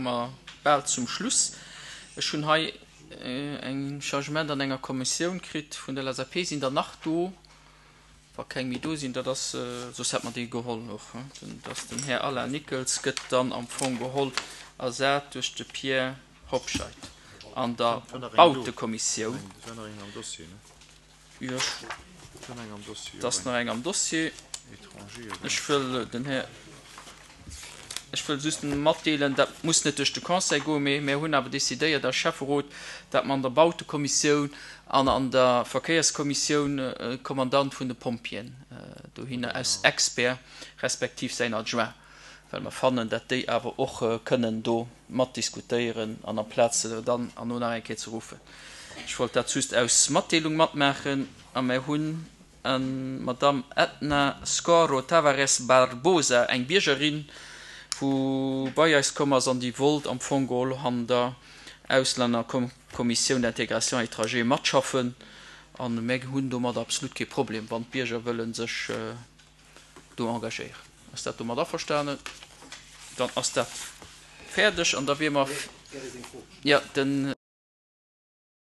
Mer bal zum Schluss. Ech hunn hei eng Changement an enger Kommissioun kritt vun der LSAP. Sinn der nach do? Wa keng méi do sinn, dat ass, soss hätt mer déi geholl och. Dat ass den Här Alain Nickels gëtt dann am Fong geholl ersat duerch de Pierre Hobscheit an der Bautekommissioun. Jo, et ass nach eng am Dossier. Ech wëll den Här, ech wëll just matdeelen, dat muss net duerch de Conseil goen, mee mir hunn awer decidéiert als Schäfferot, dat mer an der Bautekommissioun an an der Verkéierskommissioun e Kommandant vun de Pompjeeën dohinner als Expert respektiv säin Adjoint, well mer fannen, dat déi awer och kënnen do matdiskutéieren an amplaz se dann herno nach eng Kéier ze ruffen. Ech wollt dat just aus Matdeelung matmaachen. A mer hunn d'Madamm Edna Scorro Tavares Barbosa, eng Biergerin, wou bei eis komm ass an déi wollt am Fong geholl an der Auslännerkommissioun d'intégration étranger matschaffen. A mir hunn domat absolut kee Problem, wann d'Bierger wëlle sech do engagéieren. Ass dat domat averstanen? Dann ass dat fäerdeg an da wier mer, jo, den.